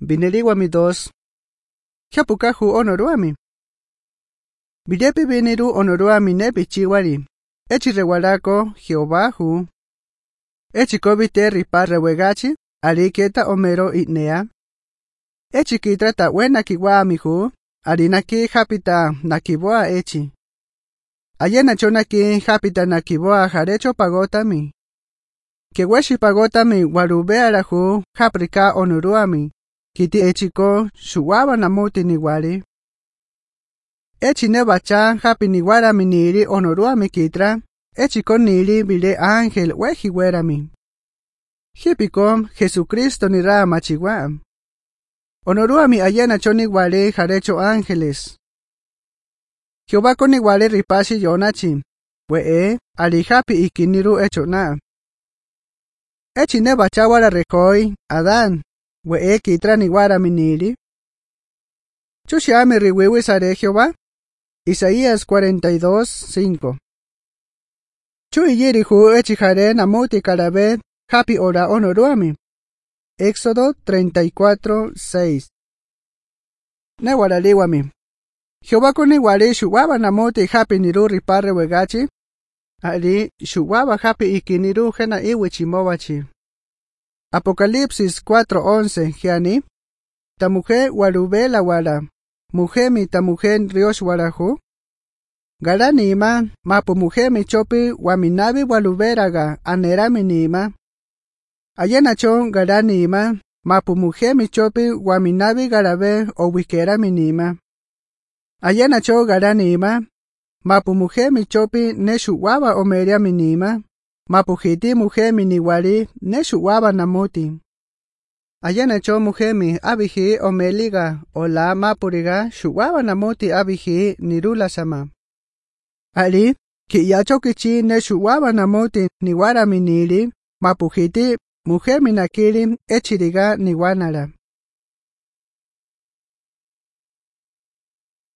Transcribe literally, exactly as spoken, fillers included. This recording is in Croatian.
biniliwami dos. Hiapukahu onoruami. Videpi biniru onoruami nepi chiwari. Echi rewalako Jehovahu. Echi kobite ripa rewegachi, ariketa omero itnea. Echi kitrata wena kiwamihu, arinaki hapita nakiboa echi. Ayena chonaki hapita nakiboa jarecho pagotami. Keweshi pagotami warubearahu haprika onoruami. Kiti echiko shuwaba namuti niwari. Echi nebacha hapi niwarami niri onoruami kitra. Echiko niri bile ángel weji werami. Hipiko Jesucristo nira machiwa. Onoruami ayena choni wale jarecho ángeles. Jehová koni wale ripasi yonachi. Wee alihapi ikiniru echona. Echi nebacha wara rekoi Adán. Wee kitra niwarami niri. Chushiami riwiwi sare Jehová. Isaías cuarenta y dos, cinco. Chui yirihu echijare namuti karabe hapi ora onoruami. Éxodo treinta y cuatro, seis. Newaraliwami. Jehová koni wali shuwaba namuti hapi niru ripare wegachi. Ali shuwaba hapi ikiniru jena iwichimowachi. Apocalipsis cuatro, once. Giani. Ta mujer warubela wala. Mujemi ta mujer riosh warahu. Galani ima, mapu mujemi chopi waminabi waluberaga anerami nima. Ayena chon galani ima, mapu mujemi chopi waminabi garabe o wikerami nima. Ayena chon galani ima, mapu mujemi chopi neshu waba omeriami nima. Mapu hiti mujemi niwari neshu waba namuti. Ayena chon mujemi abihi omeliga o la mapuriga shuwaba namuti abihi nirula sama. Ali, ki yacho kichi ne shuwaba namuti niwara minili, mapuhiti, mujer minakiri, echiriga niwanara.